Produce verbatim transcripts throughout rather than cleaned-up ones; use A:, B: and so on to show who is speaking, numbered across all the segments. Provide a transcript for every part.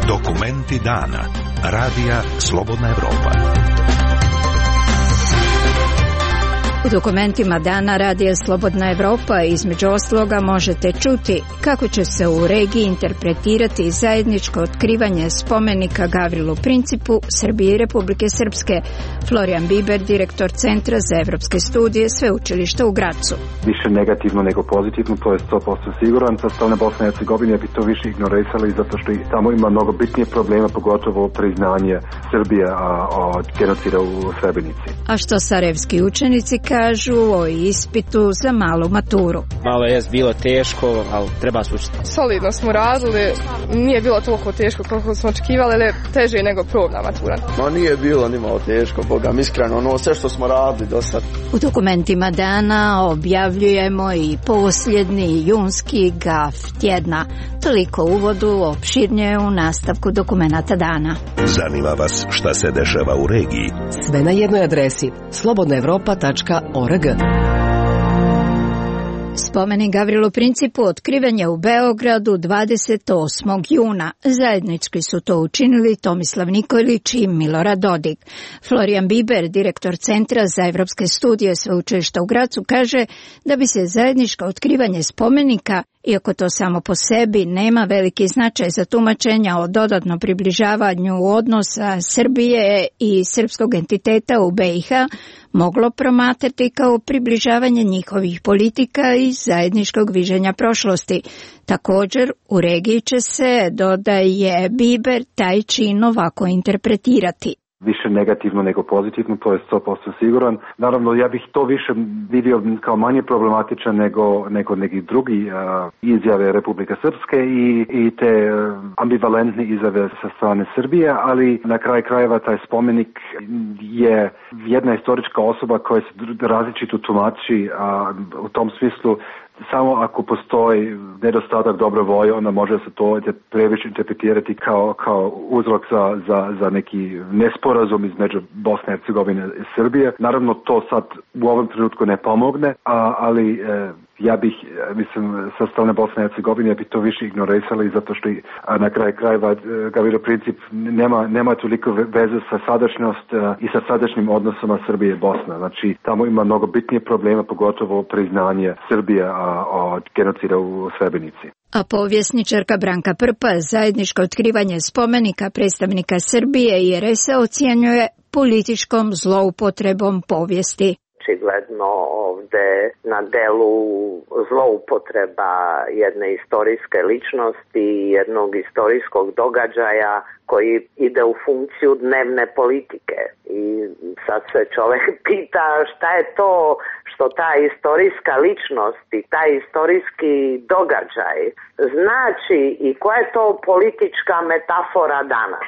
A: Dokumenti dana. Radija Slobodna Evropa.
B: U dokumentima dana Radija Slobodna Evropa između ostaloga možete čuti kako će se u regiji interpretirati zajedničko otkrivanje spomenika Gavrilu Principu Srbije i Republike Srpske. Florijan Biber, direktor Centra za evropske studije Sveučilišta u Gracu.
C: Više negativno nego pozitivno, to je sto posto siguran. Sa strane Bosne i Hercegovine bi to više ignorisali zato što i tamo ima mnogo bitnije problema, pogotovo priznanje Srbije od genocida u Srebrenici.
B: A što sarajevski učenici kažu o ispitu za malu maturu?
D: Malo je bilo teško, ali treba se učiti.
E: Solidno smo radili, nije bilo toliko teško koliko smo očekivali, ali teže nego probna matura.
F: Ma nije bilo ni malo teško, Boga mi iskreno, ono sve što smo radili do sad.
B: U dokumentima dana objavljujemo i posljednji junski gaf tjedna. Toliko uvodu, opširnije u nastavku dokumenata dana.
A: Zanima vas šta se dešava u regiji?
G: Sve na jednoj adresi slobodna evropa tačka org.
B: Spomenik Gavrilu Principu otkriven je u Beogradu dvadeset osmog juna. Zajednički su to učinili Tomislav Nikolić i Milorad Dodik. Florijan Biber, direktor Centra za evropske studije Sveučilišta u Gracu, kaže da bi se zajedničko otkrivanje spomenika, iako to samo po sebi nema veliki značaj za tumačenja o dodatnom približavanju odnosa Srbije i srpskog entiteta u be i ha, moglo promatrati kao približavanje njihovih politika i zajedničkog viđenja prošlosti. Također, u regiji će se, dodaje Biber, taj čin ovako interpretirati.
C: Više negativno nego pozitivno, to je sto posto siguran. Naravno, ja bih to više vidio kao manje problematičan nego, nego neki drugi uh, izjave Republike Srpske i, i te uh, ambivalentne izjave sa strane Srbije, ali na kraj krajeva taj spomenik je jedna istorička osoba koja se različito tumači, uh, u tom smislu samo ako postoji nedostatak dobre volje, onda može se to previše interpretirati kao, kao uzrok za, za, za neki nesporazum između Bosne i Hercegovine i Srbije. Naravno, to sad u ovom trenutku ne pomogne, a, ali e, ja bih, mislim, sa strane Bosne i Hercegovine bi to više ignorisali zato što i, na kraju krajeva Gavrilo Princip nema, nema toliko veze sa sadašnjost e, i sa sadašnjim odnosama Srbije i Bosne. Znači, tamo ima mnogo bitnije problema, pogotovo priznanje Srbije a, od genocida u Srebrenici.
B: A povjesničarka Branka Prpa zajedničko otkrivanje spomenika predstavnika Srbije i er es a ocjenjuje političkom zloupotrebom povijesti.
H: Očigledno ovde na delu zloupotreba jedne istorijske ličnosti, jednog istorijskog događaja koji ide u funkciju dnevne politike. I sad se čovjek pita šta je to što ta istorijska ličnost i taj istorijski događaj znači i koja je to politička metafora danas.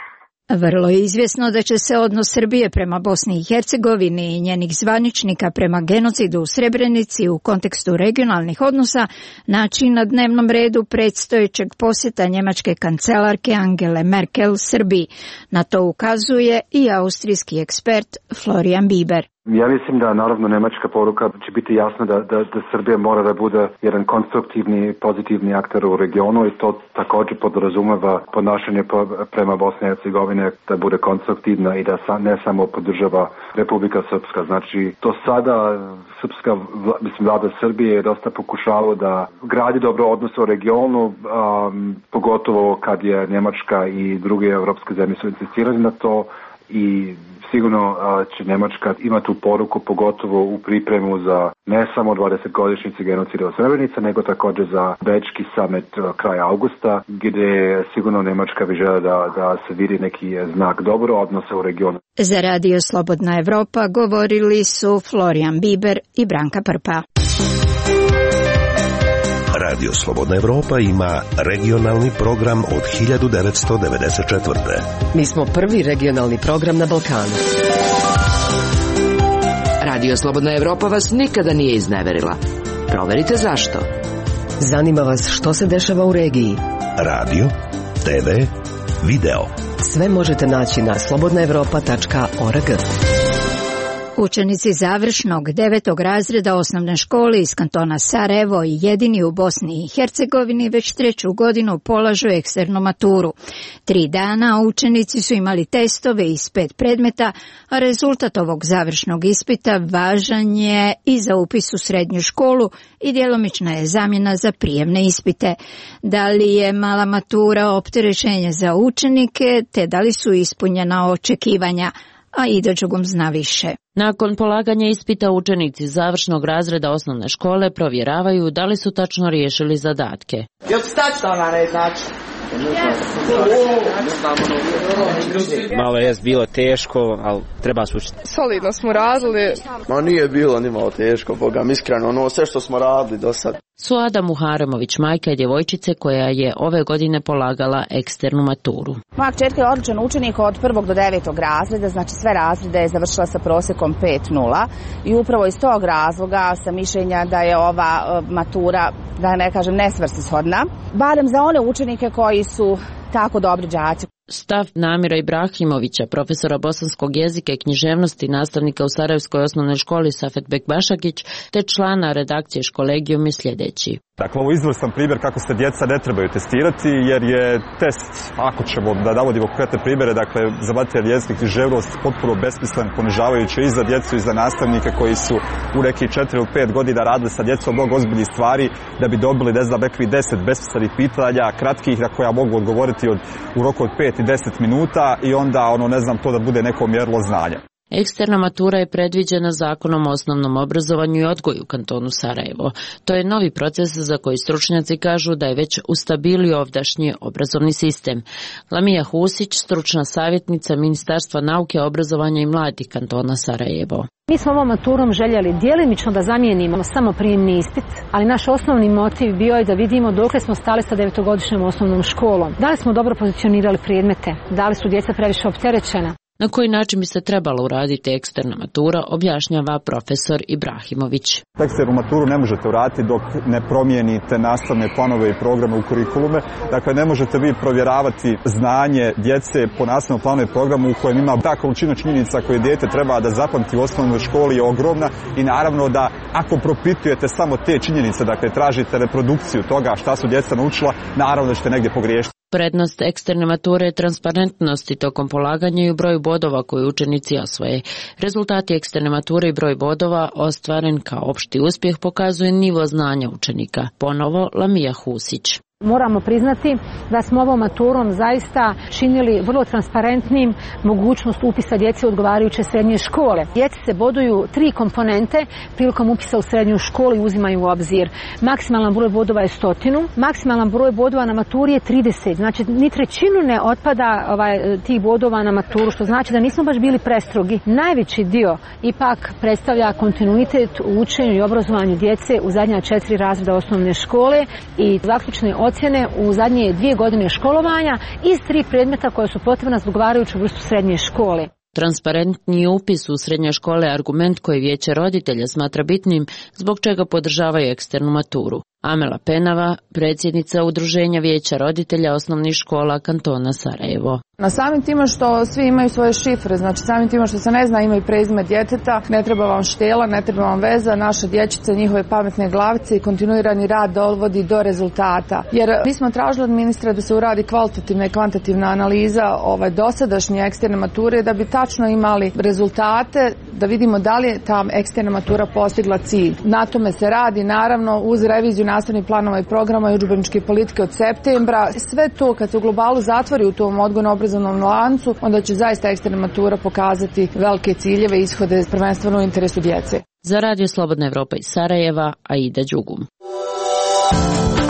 B: Vrlo je izvjesno da će se odnos Srbije prema Bosni i Hercegovini i njenih zvaničnika prema genocidu u Srebrenici u kontekstu regionalnih odnosa naći na dnevnom redu predstojećeg posjeta njemačke kancelarke Angele Merkel Srbiji. Na to ukazuje i austrijski ekspert Florijan Biber.
C: Ja mislim da naravno nemačka poruka će biti jasna da, da, da Srbija mora da bude jedan konstruktivni, pozitivni akter u regionu i to također podrazumeva ponašanje prema Bosne i Hercegovine da bude konstruktivna i da sa, ne samo podržava Republika Srpska. Znači, to sada srpska, mislim, vlada Srbije je dosta pokušala da gradi dobro odnose u regionu, um, pogotovo kad je Njemačka i druge evropske zemlje su insistirali na to i sigurno će Njemačka imati tu poruku, pogotovo u pripremu za ne samo dvadesetogodišnjice genocida u Srebrenici, nego također za Bečki summit kraja augusta, gdje sigurno Njemačka bi žela da, da se vidi neki znak dobro odnosa u regionu.
B: Za Radio Slobodna Evropa govorili su Florijan Biber i Branka Prpa.
A: Radio Slobodna Evropa ima regionalni program od hiljadu devetsto devedeset četvrte.
G: Mi smo prvi regionalni program na Balkanu.
I: Radio Slobodna Evropa vas nikada nije izneverila. Proverite zašto.
G: Zanima vas što se dešava u regiji.
A: Radio, te ve, video.
G: Sve možete naći na slobodna evropa tačka org.
B: Učenici završnog devetog razreda osnovne škole iz kantona Sarajevo i jedini u Bosni i Hercegovini već treću godinu polažu eksternu maturu. Tri dana učenici su imali testove iz pet predmeta, a rezultat ovog završnog ispita važan je i za upis u srednju školu i djelomična je zamjena za prijemne ispite. Da li je mala matura opterećenje za učenike, te da li su ispunjena očekivanja? A Ida Đugum zna više.
J: Nakon polaganja ispita učenici završnog razreda osnovne škole provjeravaju da li su tačno riješili zadatke.
K: Jel ti tačno ona ne znači?
D: Malo je bilo teško, ali treba se učiti.
E: Solidno smo radili.
F: Ma nije bilo ni malo teško, Boga mi iskreno, ono sve što smo radili do sad.
J: Suada Muharemović, majka djevojčice koja je ove godine polagala eksternu maturu.
L: Moja kćerka je odličan učenik od prvog do devetog razreda, znači sve razrede je završila sa prosjekom pet nula i upravo iz tog razloga sam mišljenja da je ova matura, da ne kažem, nesvrsishodna, barem za one učenike koji su tako dobri đaci.
J: Stav Namira Ibrahimovića, profesora bosanskog jezika i književnosti, nastavnika u Sarajevskoj osnovnoj školi Safet Bekbašagić, te člana redakcije Školegijum je sljedeći.
M: Dakle, ovo je izvrstan primjer kako se djeca ne trebaju testirati, jer je test, ako ćemo da navodimo konkretne primjere, dakle, za materijalni jezik i književnost potpuno besmislen, ponižavajući i za djecu i za nastavnike koji su u nekih četiri ili pet godina radili sa djecom mnogo ozbiljnih stvari da bi dobili, ne znam, nekih deset besmislenih pitanja, kratkih na koja mogu odgovoriti od, u roku od pet i deset minuta i onda, ono, ne znam, to da bude neko mjerilo znanja.
J: Eksterna matura je predviđena Zakonom o osnovnom obrazovanju i odgoju u kantonu Sarajevo. To je novi proces za koji stručnjaci kažu da je već ustabilio ovdašnji obrazovni sistem. Lamija Husić, stručna savjetnica Ministarstva nauke, obrazovanja i mladih kantona Sarajevo.
N: Mi smo ovom maturom željeli djelimično da zamijenimo samo prijemni ispit, ali naš osnovni motiv bio je da vidimo dokle smo stali sa devetogodišnjom osnovnom školom. Da li smo dobro pozicionirali predmete, da li su djeca previše opterećena.
J: Na koji način bi se trebala uraditi eksterna matura, objašnjava profesor Ibrahimović.
M: Eksternu maturu ne možete uraditi dok ne promijenite nastavne planove i programe u kurikulume. Dakle, ne možete vi provjeravati znanje djece po nastavnom planu i programu u kojem ima ta količina činjenica koje dijete treba da zapamti u osnovnoj školi je ogromna i naravno da ako propitujete samo te činjenice, dakle tražite reprodukciju toga šta su djeca naučila, naravno da ćete negdje pogriješiti.
J: Prednost eksterne mature je transparentnosti tokom polaganja i u broju bodova koje učenici osvoje. Rezultati eksterne mature i broj bodova ostvaren kao opšti uspjeh pokazuje nivo znanja učenika. Ponovo Lamija Husić.
N: Moramo priznati da smo ovom maturom zaista činili vrlo transparentnim mogućnost upisa djece u odgovarajuće srednje škole. Djeci se boduju tri komponente prilikom upisa u srednju školu i uzimaju u obzir. Maksimalan broj bodova je stotinu, maksimalan broj bodova na maturi je trideset, znači ni trećinu ne otpada ovaj, tih bodova na maturu, što znači da nismo baš bili prestrogi. Najveći dio ipak predstavlja kontinuitet u učenju i obrazovanju djece u zadnja četiri razreda osnovne škole i zaključne ocjene u zadnje dvije godine školovanja iz tri predmeta koje su potrebna za odgovarajuću vrstu srednje škole.
J: Transparentni upis u srednje škole je argument koji vijeće roditelja smatra bitnim, zbog čega podržavaju eksternu maturu. Amela Penava, predsjednica Udruženja vijeća roditelja osnovnih škola kantona Sarajevo.
O: Na samim tima što svi imaju svoje šifre, znači samim tima što se ne zna ime i prezime djeteta, ne treba vam štela, ne treba vam veza, naše dječice, njihove pametne glavice i kontinuirani rad dovodi do rezultata. Jer mi smo tražili od ministra da se uradi kvalitativna i kvantitativna analiza ovaj dosadašnje eksterne mature da bi tačno imali rezultate, da vidimo da li je ta eksterna matura postigla cilj. Na tome se radi naravno uz reviziju nastavnih planova i programa i udžbeničke politike od septembra. Sve to kad se u globalu zatvori u tom odgojno-obrazovnom lancu, onda će zaista eksterna matura pokazati velike ciljeve i ishode prvenstveno u interesu djece.
J: Za Radio Slobodna Evropa iz Sarajeva, Aida Đugum.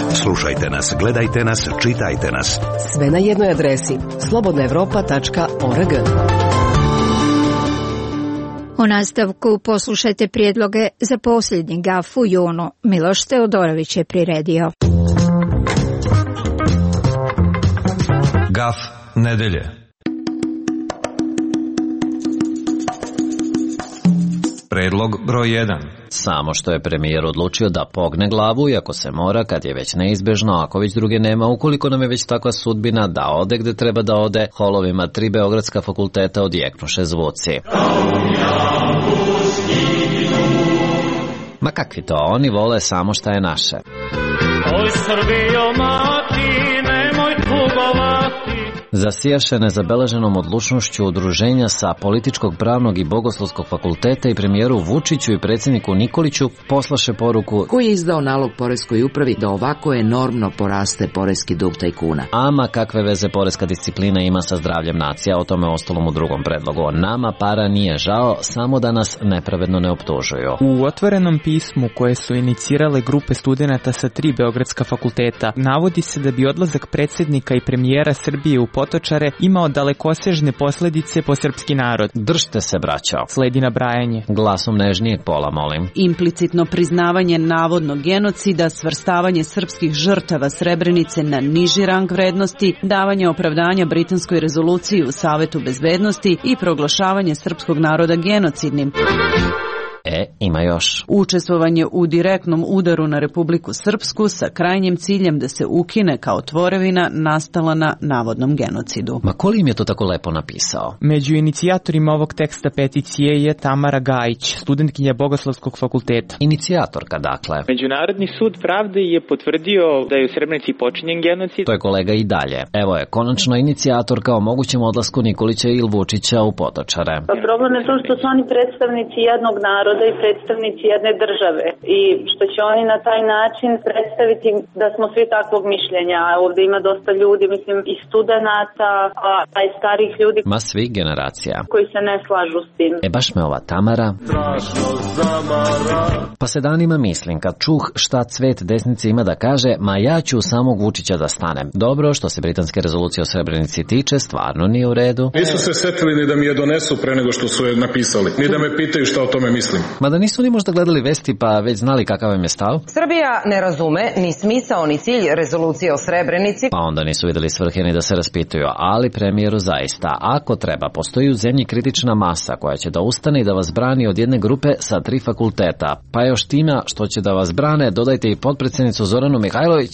A: Slušajte nas, gledajte nas, čitajte nas.
G: Sve na jednoj adresi slobodna evropa tačka org.
B: U nastavku poslušajte prijedloge za posljednji gaf u junu. Miloš Teodorović je priredio.
P: Gaf nedelje. Predlog broj jedan.
Q: Samo što je premijer odlučio da pogne glavu, iako se mora, kad je već neizbežno, ako već druge nema, ukoliko nam je već takva sudbina, da ode gde treba da ode, holovima tri beogradska fakulteta odjeknuše zvuci. Ma kakvi to, oni vole samo šta je naše.
R: Oj Srbijo mati, nemoj tugovati.
Q: Zasijaše nezabeleženom odlučnošću udruženja sa Političkog, pravnog i Bogoslovskog fakulteta i premijeru Vučiću i predsjedniku Nikoliću poslaše poruku
I: koji je izdao nalog poreskoj upravi da ovako enormno poraste poreski dug tajkuna.
Q: Ama kakve veze poreska disciplina ima sa zdravljem nacija, o tome ostalom u drugom predlogu. Nama para nije žao, samo da nas nepravedno ne optužuju.
S: U otvorenom pismu koje su inicirale grupe studenata sa tri beogradska fakulteta navodi se da bi odlazak predsjednika i premijera Srbije u Potočare imao dalekosežne posljedice po srpski narod.
Q: Držte se, braćo.
S: Sledi nabrajanje.
Q: Glasom nežnijeg pola, molim.
T: Implicitno priznavanje navodnog genocida, svrstavanje srpskih žrtava Srebrenice na niži rang vrednosti, davanje opravdanja britanskoj rezoluciji u Savetu bezbednosti i proglašavanje srpskog naroda genocidnim.
Q: E, ima još.
T: Učestvovanje u direktnom udaru na Republiku Srpsku sa krajnjim ciljem da se ukine kao tvorevina nastala na navodnom genocidu.
Q: Ma koliko im je to tako lepo napisao?
S: Među inicijatorima ovog teksta peticije je Tamara Gajić, studentkinja Bogoslovskog fakulteta.
Q: Inicijatorka, dakle.
U: Međunarodni sud pravde je potvrdio da je u Srebrenici počinjen genocid.
Q: To je kolega i dalje. Evo je, konačno inicijatorka o mogućem odlasku Nikolića i Vučića u Potočare.
V: Pa problem je to što su oni predstavnici jednog naroda i predstavnici jedne države i što će oni na taj način predstaviti da smo svi takvog mišljenja. Ovdje ima dosta ljudi, mislim i studenata, a i starih ljudi.
Q: Ma svih generacija.
V: Koji se ne slažu s tim.
Q: E baš me ova Tamara. Pa se danima mislim kad čuh šta cvet desnice ima da kaže, ma ja ću samog Vučića da stanem. Dobro, što se britanske rezolucije o Srebrenici tiče, stvarno nije u redu.
W: Nisu se setili ni da mi je donesu pre nego što su je napisali, ni da me pitaju šta o tome mislim.
Q: Mada nisu ni možda gledali vesti pa već znali kakav im je stav.
X: Srbija ne razume ni smisao ni cilj rezolucije o Srebrenici.
Q: Pa onda nisu vidjeli svrhe ni da se raspituju, ali premijeru zaista, ako treba, postoji u zemlji kritična masa koja će da ustane i da vas brani od jedne grupe sa tri fakulteta. Pa još tima što će da vas brane, dodajte i potpredsjednicu Zoranu Mihajlović.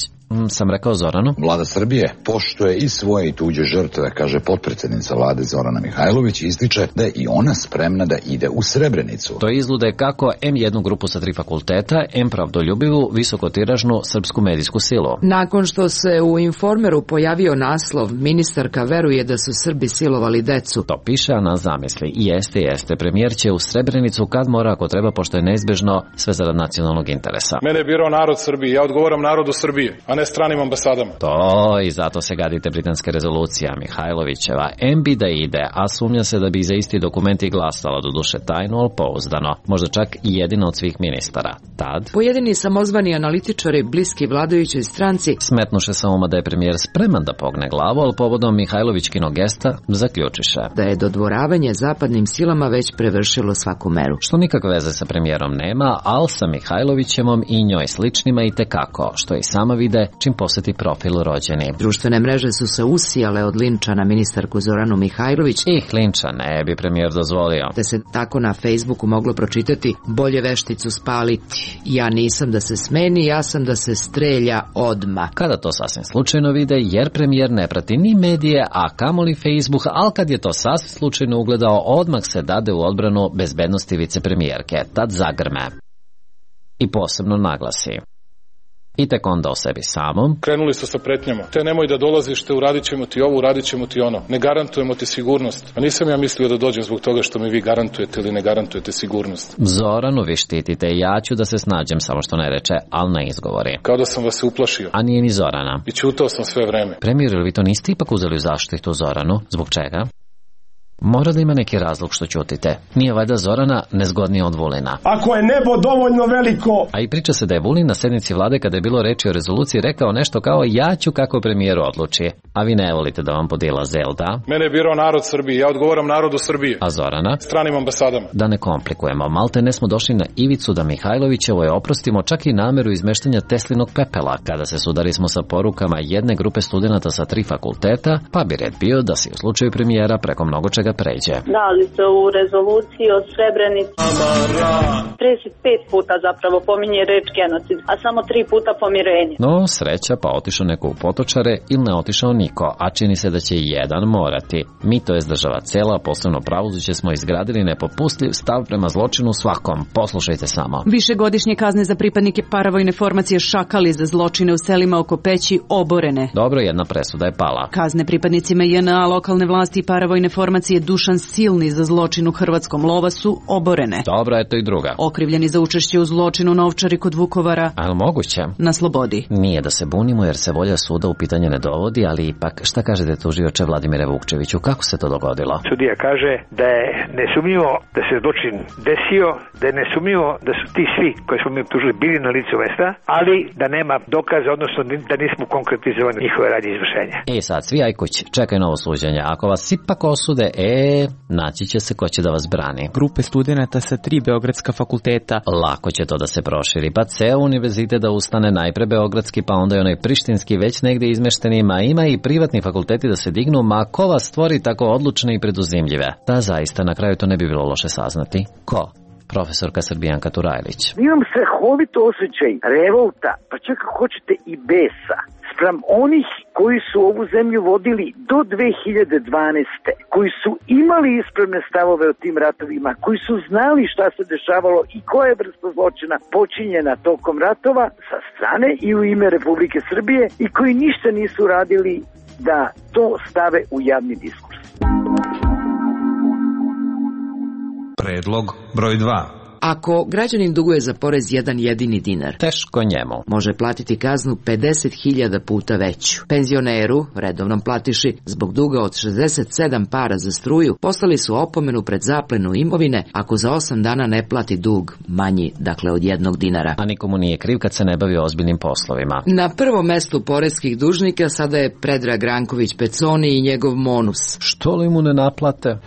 Q: Sam rekao Zoranu.
Y: Vlada Srbije poštuje i svoje i tuđe žrtve, kaže potpredsjednica vlade Zorana Mihajlović, ističe da je i ona spremna da ide u Srebrenicu.
Q: To izlude kako em jednu grupu sa tri fakulteta, em pravdoljubivu, visokotiražnu srpsku medijsku silu.
I: Nakon što se u Informeru pojavio naslov, ministarka veruje da su Srbi silovali decu.
Q: To piše, a na zamisli. I jeste, jeste. Premijer će u Srebrenicu kad mora, ako treba, pošto je neizbežno, sve zarad nacionalnog interesa.
W: Mene je birao narod Srbije, ja odgovaram narodu Srbije, a ne stranim ambasadama.
Q: To i zato se gadite britanske rezolucija Mihajlovićeva. em bi da ide, a sumnja se da bi za isti dokumenti glasala, do duše tajno, ali pouzdano. Možda čak i jedina od svih ministara. Tad
I: pojedini samozvani analitičari bliski vladajućoj stranci
Q: smetnuše sa uma da je premijer spreman da pogne glavu, ali povodom Mihajlovićkinog gesta zaključiše
I: da je dodvoravanje zapadnim silama već prevršilo svaku meru.
Q: Što nikakve veze sa premijerom nema, ali sa Mihajlovićevom i njoj sličnima i tekako, što i sama vide čim posjeti profil rođeni.
I: Društvene mreže su se usijale od linča na ministarku Zoranu Mihajlović.
Q: Ih, linča ne bi premijer dozvolio.
I: Da se tako na Facebooku moglo pročitati: bolje vešticu spaliti. Ja nisam da se smeni, ja sam da se strelja odma.
Q: Kada to sasvim slučajno vide, jer premijer ne prati ni medije, a kamoli Facebook, ali kad je to sasvim slučajno ugledao, odmah se dade u odbranu bezbednosti vicepremijerke. Tad zagrme. I posebno naglasi. I tek onda o sebi samom.
W: Krenuli su sa pretnjama. Te nemoj da dolaziš, te uradit ćemo ti ovo, uradit ćemo ti ono. Ne garantujemo ti sigurnost. A nisam ja mislio da dođem zbog toga što mi vi garantujete ili ne garantujete sigurnost.
Q: Zoranu vi štitite, ja ću da se snađem, samo što ne reče, ali ne izgovori.
W: Kao da sam vas se uplašio.
Q: A nije ni Zorana.
W: I ćutao sam sve vreme.
Q: Premijer, ili vi to niste ipak uzeli u zaštitu Zoranu? Zbog čega? Mora da ima neki razlog što ćutite. Nije valjda Zorana nezgodnija od Vulina.
Z: Ako je nebo dovoljno veliko...
Q: A i priča se da je Vulin na sednici vlade, kada je bilo reči o rezoluciji, rekao nešto kao ja ću kako premijer odluči. A vi ne volite da vam podila zel, da?
W: Mene je birao narod Srbije, ja odgovaram narodu Srbije.
Q: A Zorana?
W: Stranim ambasadama.
Q: Da ne komplikujemo, malte ne smo došli na ivicu da Mihajlovićevo je oprostimo čak i nameru izmeštanja Teslinog pepela, kada se sudari smo sa porukama jedne grupe studenata sa tri fakulteta, pa bi red bio da se u slučaju premijera preko mnogo čega ga pređe.
V: Dali se u rezoluciji o Srebrenici. trideset pet puta zapravo pominje reč genocid, a samo tri puta pomirenje.
Q: No, sreća pa otišao neko u Potočare ili ne otišao niko, a čini se da će jedan morati. Mi, to jest država cela, posebno pravosuđe, smo izgradili nepopustljiv stav prema zločinu svakom. Poslušajte samo.
T: Višegodišnje kazne za pripadnike paravojne formacije Šakali za zločine u selima oko Peći oborene.
Q: Dobro, jedna presuda je pala.
T: Kazne pripadnicima J N A, lokalne vlasti i paravojne formacije Dušan Silni za zločin u Hrvatskom Lova su oborene.
Q: Dobro, eto i druga.
T: Okrivljeni za učešće u zločinu na Ovčari kod Vukovara.
Q: Ali moguće?
T: Na slobodi.
Q: Nije da se bunimo jer se volja suda u pitanje ne dovodi, ali ipak šta kažete tužioče Vladimire Vukčeviću, kako se to dogodilo?
C: Sudija kaže da je nesumnjivo da se zločin desio, da je nesumnjivo da su ti svi koji smo mi optužili bili na licu mesta, ali da nema dokaza, odnosno da nismo konkretizovali njihove radnje izvršenja.
Q: E sad, svi aj kuć, čekaj novo suđenje. Ako vas ipak osude, e, naći će se ko će da vas brani.
S: Grupe studenata sa tri beogradska fakulteta.
Q: Lako će to da se proširi, pa ceo univerzitet da ustane, najpre beogradski, pa onda i onaj prištinski već negde izmeštenima, ima i privatni fakulteti da se dignu, ma ko vas stvori tako odlučne i preduzimljive? Da zaista na kraju to ne bi bilo loše saznati. Ko? Profesorka Srbijanka Turajlić.
D: Imam strahovito osjećaj revolta, pa čak ako hoćete i besa, spram onih koji su ovu zemlju vodili do dve hiljade dvanaeste. koji su imali ispravne stavove o tim ratovima, koji su znali šta se dešavalo i koja je vrsta zločina počinjena tokom ratova sa strane i u ime Republike Srbije i koji ništa nisu radili da to stave u javni diskurs.
P: Predlog broj dva.
I: Ako građanin duguje za porez jedan jedini dinar,
Q: teško njemu,
I: može platiti kaznu pedeset hiljada puta veću. Penzioneru, redovnom platiši, zbog duga od šezdeset sedam para za struju, poslali su opomenu pred zaplenu imovine ako za osam dana ne plati dug manji, dakle od jednog dinara.
Q: A nikomu nije kriv kad se ne bavi ozbiljnim poslovima.
I: Na prvom mestu poreskih dužnika sada je Predrag Ranković Peconi i njegov Monus.
Q: Što li mu ne naplate?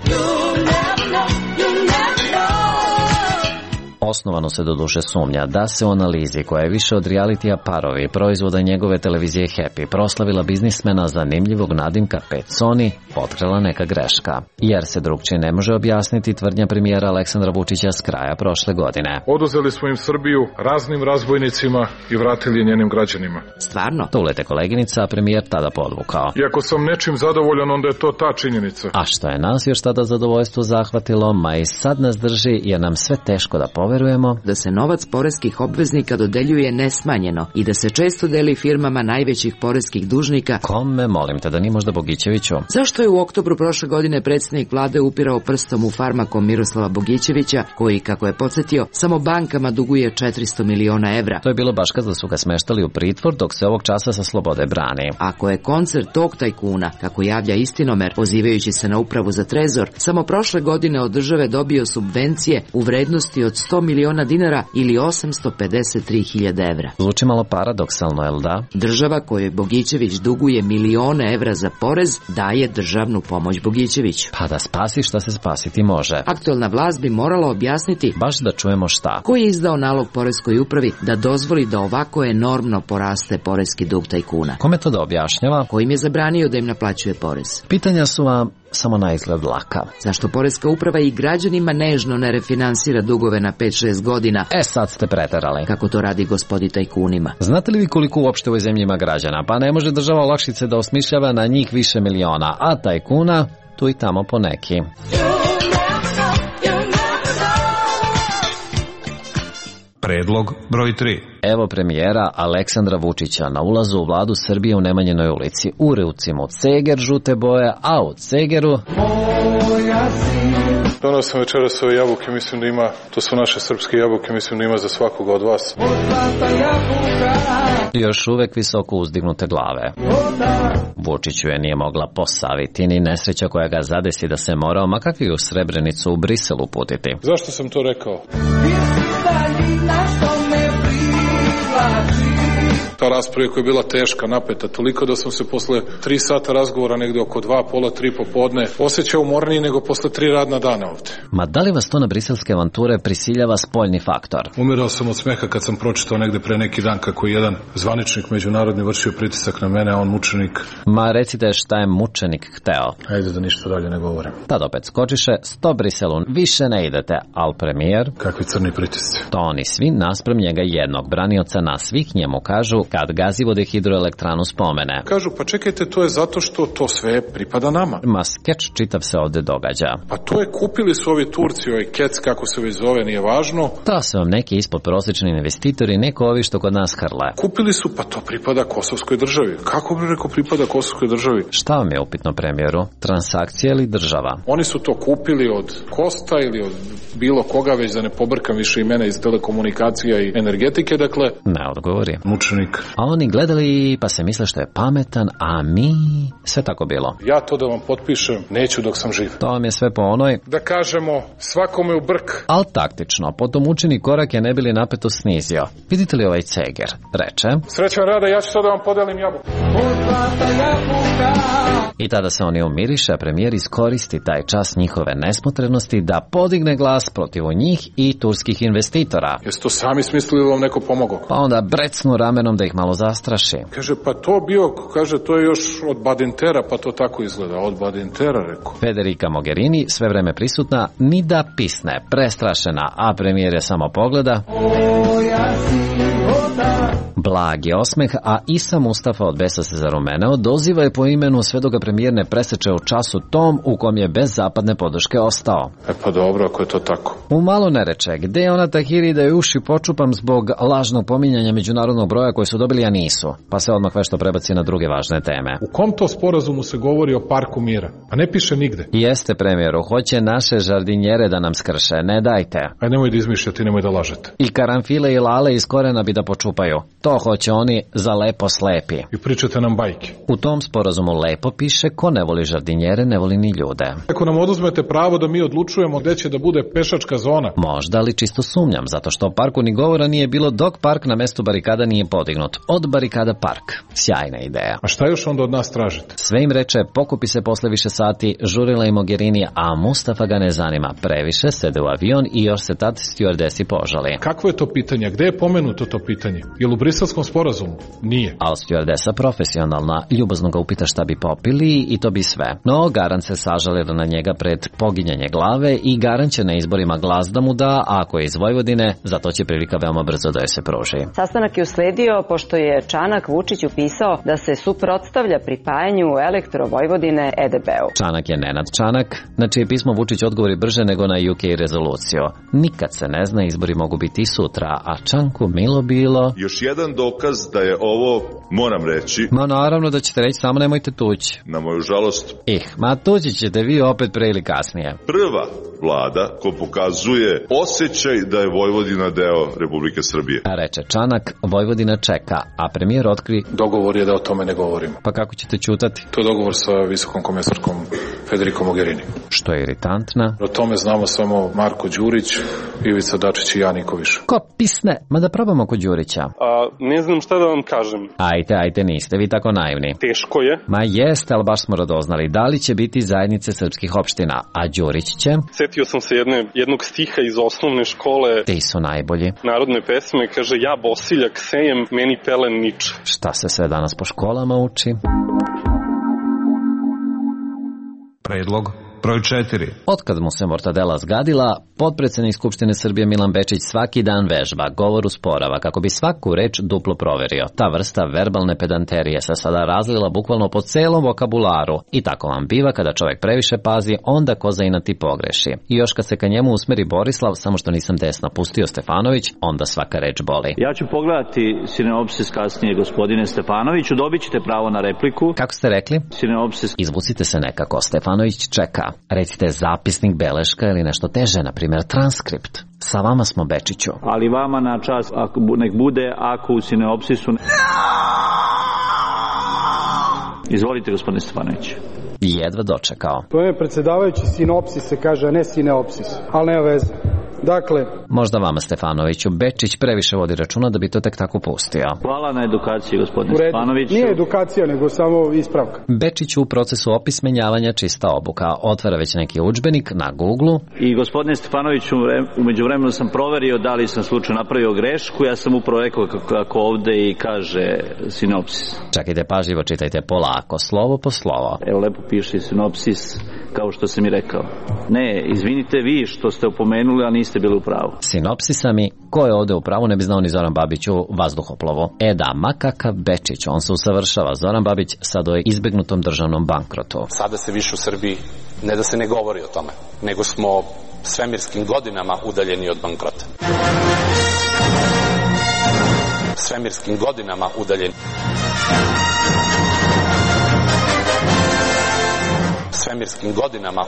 Q: Osnovano se doduše sumnja da se u analizi koja je više od realitija Parovi, proizvoda njegove televizije Happy, proslavila biznismena zanimljivog nadimka Peconi, potkrala neka greška. Jer se drugčije ne može objasniti tvrdnja premijera Aleksandra Vučića s kraja prošle godine.
W: Oduzeli smo im Srbiju raznim razbojnicima i vratili njenim građanima.
I: Stvarno?
Q: To ulete koleginica, a premijer tada podvukao.
W: I ako sam nečim zadovoljan, onda je to ta činjenica.
Q: A što je nas još tada zadovoljstvo zahvatilo, ma i sad nas drži jer nam sve teško da poverujemo
I: da se novac poreskih obveznika dodeljuje nesmanjeno i da se često deli firmama najvećih poreskih dužnika.
Q: Kome, molim te, da ni možda Bogićeviću?
I: Zašto je u oktobru prošle godine predsjednik vlade upirao prstom u Farmakom Miroslava Bogićevića, koji, kako je podsjetio, samo bankama duguje četiristo miliona evra?
Q: To je bilo baš kada su ga smeštali u pritvor, dok se ovog časa sa slobode brani.
I: Ako je koncert tog tajkuna, kako javlja Istinomer, pozivajući se na upravu za trezor, samo prošle godine od države dobio subvencije u vrednosti od sto miliona dinara ili osamsto pedeset tri hiljade evra.
Q: Zvuči malo paradoksalno, jel da?
I: Država kojoj Bogićević duguje milione evra za porez daje državnu pomoć Bogićeviću.
Q: Pa da spasi šta se spasiti može.
I: Aktualna vlast bi morala objasniti,
Q: baš da čujemo šta,
I: ko je izdao nalog poreskoj upravi da dozvoli da ovako enormno poraste poreski dug tajkuna.
Q: Kome to da objašnjava?
I: Ko im je zabranio da im naplaćuje porez?
Q: Pitanja su vam samo na izgled laka.
I: Zašto poreska uprava i građanima nežno ne refinansira dugove na pet šest godina?
Q: E sad ste preterali.
I: Kako to radi gospodi tajkunima?
Q: Znate li vi koliko uopšte u ovoj zemlji ima građana? Pa ne može država olakšice da osmišljava na njih više miliona, a tajkuna tu i tamo po neki.
P: Predlog broj tri.
Q: Evo premijera Aleksandra Vučića na ulazu u vladu Srbije u Nemanjinoj ulici. U ruci mu ceger žute boje, a u cegeru...
W: Donao sam večeras ove jabuke, mislim da ima, to su naše srpske jabuke, mislim da ima za svakoga od vas.
Q: Još uvek visoko uzdignute glave. Vučiću je nije mogla posaviti ni nesreća koja ga zadesi da se morao, ma kakvi u Srebrenicu u Brisel uputiti.
W: Zašto sam to rekao? Ta rasprava koja je bila teška, napeta, toliko da sam se posle tri sata razgovora, negde oko dva, pola, tri popodne, osjećao umorniji nego posle tri radna dana ovde.
Q: Ma da li vas to na briselske avanture prisiljava spoljni faktor?
W: Umirao sam od smeha kad sam pročitao negde pre neki dan kako je jedan zvaničnik međunarodni vršio pritisak na mene, a on mučenik.
Q: Ma recite šta je mučenik hteo.
W: Ajde da ništa dalje ne govorim.
Q: Tad opet skočiše, sto Briselu, više ne idete, al premijer...
W: Kakvi crni pritisci.
Q: To oni svi nasprem njega jednog branioca na svih njemu kažu kad Gazivode hidroelektranu spomene.
W: Kažu, pa čekajte, to je zato što to sve pripada nama.
Q: Ma skeč čitav se ovde događa.
W: Pa to je, kupili su ovi Turci, ovaj kec, kako se već zove, nije važno.
Q: To su vam neki ispod prosječni investitori, neko ovi što kod nas hrle.
W: Kupili su, pa to pripada Kosovskoj državi. Kako bi rekao pripada Kosovskoj državi?
Q: Šta vam je upitno, premijeru? Transakcija ili država?
W: Oni su to kupili od Kosta ili od bilo koga, već da ne pobrkam više imena iz telekomunikacija i energetike, dakle...
Q: Ne odgovori.
W: Mučenik.
Q: A oni gledali pa se misle što je pametan, a mi... Sve tako bilo.
W: Ja to da vam potpišem neću dok sam živ.
Q: To vam je sve po onoj...
W: Da kažemo, svakome u brk.
Q: Al taktično, potom učini korak je ne bili napeto snizio. Vidite li ovaj ceger? Reče...
W: Srećan rada, ja ću sad da vam podelim jabuku.
Q: I tada se oni umiriše, a premijer iskoristi taj čas njihove nesmotrenosti da podigne glas protiv njih i turskih investitora.
W: Jeste to sami smislili ili vam neko pomogao?
Q: Pa onda brecnu ramenom da ih malo zastraši.
W: Kaže, pa to bio, kaže, to je još od Badintera, pa to tako izgleda. Od Badintera, rekao.
Q: Federica Mogherini, sve vreme prisutna, ni da pisne, prestrašena, a premijer je samo pogleda. Blag je osmeh, a Isa Mustafa od besa se zarumeneo, doziva je po imenu sve dok ga premijer ne preseče u času tom u kom je bez zapadne podrške ostao.
W: E pa dobro, ako je to tako.
Q: U malo ne reče, gde je ona Tahiri da je uši počupam zbog lažnog pominjanja međunarodnog broja koji su dobili, a nisu, pa se odmah vešto prebaci na druge važne teme.
W: U kom to sporazumu se govori o parku mira? A ne piše nigde.
Q: Jeste, premijeru, hoće naše žardinjere da nam skrše, ne dajte.
W: Aj nemoj da izmišljate, nemoj da lažete.
Q: I karanfile i lale iz korena bi da počupaju. To hoće oni za lepo slepi.
W: I pričate nam bajke.
Q: U tom sporazumu lepo piše ko ne voli žardinjere, ne voli ni ljude.
W: Ako nam oduzmete pravo da mi odlučujemo gde će da bude pešačka zona.
Q: Možda, ali čisto sumnjam, zato što o parku ni govora nije bilo dok park na mestu barikada nije podignut. Od barikada park. Sjajna ideja.
W: A šta još onda od nas tražite?
Q: Sve im reče, pokupi se posle više sati, žurila i Mogherini, a Mustafa ga ne zanima. Previše, sede u avion i još se tad stjuardesi požali.
W: Kakvo je to pitanje? Gde je pomenuto to pitanje? Je li u briselskom sporazumu? Nije.
Q: Al stjuardesa profesionalna, ljubazno ga upita šta bi popili i to bi sve. No, Garan se sažalila na njega pred poginjanje glave i Garan će na izborima glas da mu da, a ako je iz Vojvodine, zato će prilika veoma brzo da je se pruži.
X: Sastanak je usledio pošto je Čanak Vučić upisao da se suprotstavlja pripajanju Elektro Vojvodine E D B-u.
Q: Čanak je Nenad Čanak, na čije pismo Vučić odgovori brže nego na U K rezoluciju. Nikad se ne zna, izbori mogu biti i sutra, a Čanku milo bilo...
E: Još jedan dokaz da je ovo, moram reći...
Q: Ma naravno da ćete reći, samo nemojte tući.
E: Na moju žalost...
Q: Ih, ma tući ćete vi opet pre ili kasnije.
E: Prva vlada ko pokazuje osjećaj da je Vojvodina deo Republike Srbije.
Q: A reče Čanak, Vojvodina čeka, a premijer otkri...
W: Dogovor je da o tome ne govorimo.
Q: Pa kako ćete ćutati?
W: To je dogovor sa visokom komesarkom Federico Mogherini.
Q: Što je iritantna?
W: O tome znamo samo Marko Đurić, Ivica Dačić i ja niko više.
Q: Ko pisne? Ma da probamo kod Đurića.
F: A, ne znam šta da vam kažem.
Q: Ajte, ajte, niste vi tako naivni.
F: Teško je.
Q: Ma jeste, ali baš smo radoznali. Da li će biti zajednice srpskih opština? A Đurić će?
F: Setio sam se jedne, jednog stiha iz osnovne škole.
Q: Ti su najbolji.
F: Narodne pesme, kaže, ja bosiljak sejem, meni pelen niče.
Q: Šta se sve danas po školama uči?
P: Predlog broj četiri.
Q: Otkad mu se mortadela zgadila, potpredsednik Skupštine Srbije Milan Bečić svaki dan vežba, govor usporava, kako bi svaku reč duplo proverio. Ta vrsta verbalne pedanterije se sada razlila bukvalno po celom vokabularu. I tako vam biva kada čovjek previše pazi, onda ko zainati pogreši. I još kad se ka njemu usmeri Borislav, samo što nisam desno pustio Stefanović, onda svaka reč boli.
H: Ja ću pogledati sineopsis kasnije, gospodine Stefanoviću, dobit ćete pravo na repliku.
Q: Kako ste rekli?
H: Sineopsis.
Q: Izvucite se nekako, Stefanović čeka. Recite zapisnik, beleška ili nešto teže, na primjer transkript. Sa vama smo, Bečiću.
H: Ali vama na čas, ako, nek bude ako u sineopsisu... Izvolite, gospodine Stefanović.
Q: Jedva dočekao.
K: To je predsjedavajući sinopsis se kaže, a ne sineopsis. Ali nema veze.
J: Dakle,
Q: možda vama, Stefanoviću, Bečić previše vodi računa da bi to tek tako pustio.
H: Hvala na edukaciji, gospodine Stefanoviću.
J: Nije edukacija, nego samo ispravka.
Q: Bečić u procesu opismenjavanja čista obuka. Otvara već neki udžbenik na Google-u.
H: I gospodine Stefanoviću, umeđu vremenu sam proverio da li sam slučajno napravio grešku. Ja sam upravo rekao kako ovde i kaže sinopsis.
Q: Čekajte, pažljivo čitajte polako, slovo po slovo.
H: Evo, lepo piše sinopsis, kao što sam i rekao. Ne, izvinite vi što ste opomenuli, a niste bili u pravu.
Q: Sinopsisa mi, ko je ovde u pravu, ne bi znao ni Zoran Babić u vazduhoplovu. E da, ma kakav Bečić, on se usavršava. Zoran Babić sad o izbegnutom državnom bankrotu.
K: Sada se više u Srbiji ne da se ne govori o tome, nego smo svemirskim godinama udaljeni od bankrota. Svemirskim godinama udaljeni. Svemirskim godinama.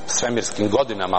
K: Svemirskim godinama.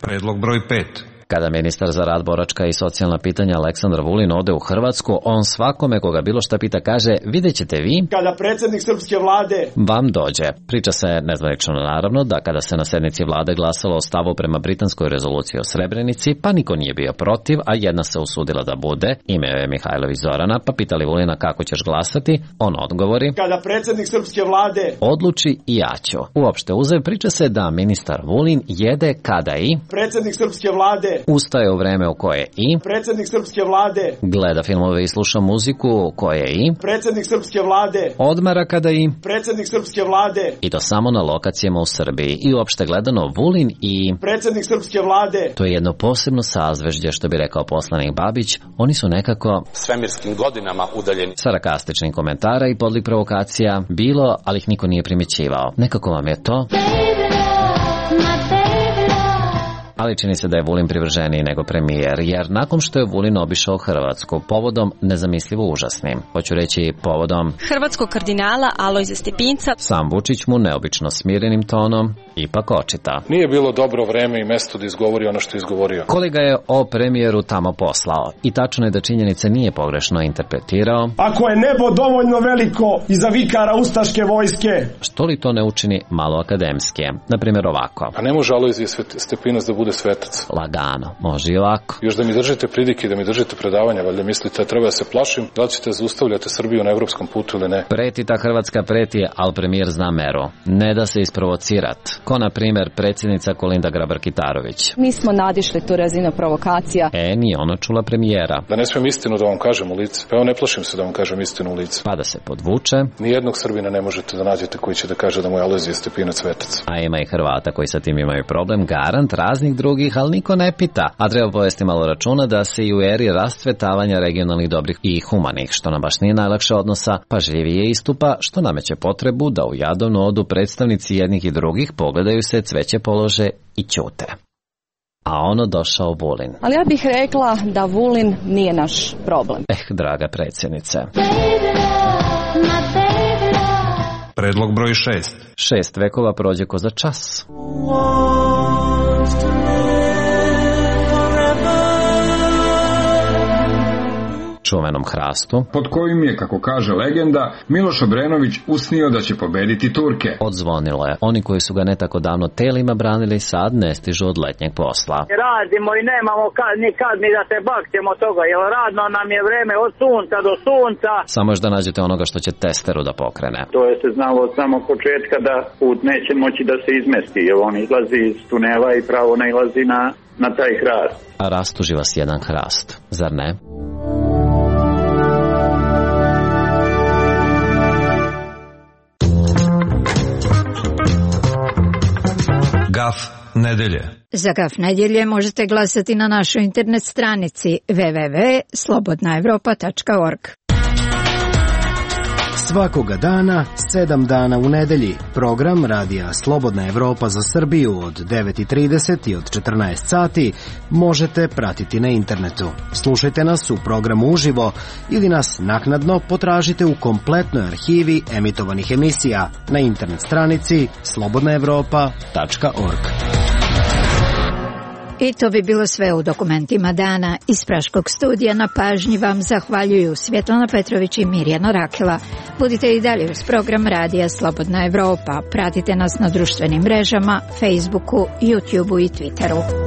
P: Predlog broj pet.
Q: Kada ministar za rad, boračka i socijalna pitanja Aleksandar Vulin ode u Hrvatsku, on svakome koga bilo šta pita kaže, vidjet ćete vi,
Z: kada predsjednik srpske vlade
Q: vam dođe. Priča se nezvanično naravno da kada se na sednici vlade glasalo o stavu prema britanskoj rezoluciji o Srebrenici, pa niko nije bio protiv, a jedna se usudila da bude, ime je Mihajlović Zorana, pa pitali Vulina kako ćeš glasati, on odgovori,
Z: kada predsjednik srpske vlade
Q: odluči i ja ću. Uopšte uzev, priča se da ministar Vulin jede kada i
Z: predsjednik srpske vlade
Q: ustaje u vreme u koje i
Z: predsjednik srpske vlade
Q: gleda filmove i sluša muziku u koje i
Z: predsjednik srpske vlade
Q: odmara kada i
Z: predsjednik srpske vlade
Q: i to samo na lokacijama u Srbiji. I uopšte gledano Vulin i
Z: predsjednik srpske vlade,
Q: to je jedno posebno sazvežđe, što bi rekao poslanik Babić. Oni su nekako
K: svemirskim godinama udaljeni.
Q: Sarkastičnih komentara i podlik provokacija bilo, ali ih niko nije primjećivao. Nekako vam je to, ali čini se da je Vulin privrženiji nego premijer, jer nakon što je Vulin obišao Hrvatsku povodom nezamislivo užasnim, hoću reći povodom
L: hrvatskog kardinala Alojza Stepinca,
Q: sam Vučić mu neobično smirenim tonom ipak očita.
W: Nije bilo dobro vreme i mesto da izgovori ono što je izgovorio.
Q: Kolega je o premijeru tamo poslao i tačno je da činjenice nije pogrešno interpretirao.
Z: Ako je nebo dovoljno veliko i za vikara ustaške vojske,
Q: što li to ne učini malo akademski? Naprimjer ovako.
W: A ne može Alojzije Stepinac da bude svetac.
Q: Lagano, može i ovako.
W: Još da mi držite pridike, da mi držite predavanja, valjda mislite da treba da se plašim, da li ćete zaustavljati Srbiju na evropskom putu ili ne?
Q: Preti ta Hrvatska preti, ali premijer zna meru. Ne da se isprovocirat. Ko na primjer predsjednica Kolinda Grabar-Kitarović.
L: Mi smo nadišli tu razinu provokacija.
Q: E, nije ona čula premijera.
W: Da ne smijem istinu da vam kažem u lice. Pa evo, ne plašim se da vam kažem istinu u lice.
Q: Pa da se podvuče.
W: Nijednog Srbina ne možete da nađete koji će da kaže da mu je Alojzije Stepinac svetac.
Q: A ima i Hrvata koji sa tim imaju problem, garant raznih drugih, ali niko ne pita. A treba povesti malo računa da se i u eri rastvetavanja regionalnih dobrih i humanih, što nam baš nije najlakše odnosa, pažljivije istupa, što nameće potrebu da u jadovnu odu predstavnici jednih i drugih pogledaju se, cveće polože i ćute. A ono došao Vulin.
L: Ali ja bih rekla da Vulin nije naš problem.
Q: Eh, draga predsjednice.
P: Predlog broj šest.
Q: Šest vekova prođe ko za čas. Čuvenom hrastu,
M: pod kojim je, kako kaže legenda, Miloš Obrenović usnio da će pobediti Turke.
Q: Odzvonilo je. Oni koji su ga ne tako davno telima branili sad ne stižu od letnjeg posla.
N: Radimo i nemamo kad, ni kad ni da se bakćemo toga, jer radno nam je vreme od sunca do sunca.
Q: Samo još da nađete onoga što će testeru da pokrene.
N: To je se znalo od samog početka da put neće moći da se izmesti, jer on izlazi iz tunela i pravo nailazi na, na taj hrast.
Q: A rastuži vas jedan hrast, zar ne?
P: Gaf nedelje.
B: Za Gaf nedjelje možete glasati na našoj internet stranici w w w tačka slobodna evropa tačka org.
O: Svakoga dana, sedam dana u nedelji, program radija Slobodna Evropa za Srbiju od devet i trideset i od četrnaest sati možete pratiti na internetu. Slušajte nas u programu uživo ili nas naknadno potražite u kompletnoj arhivi emitovanih emisija na internet stranici slobodna evropa tačka org.
B: I to bi bilo sve u dokumentima dana. Iz Praškog studija na pažnji vam zahvaljuju Svjetlana Petrović i Mirjana Rakela. Budite i dalje uz program Radija Slobodna Evropa. Pratite nas na društvenim mrežama, Facebooku, YouTubeu i Twitteru.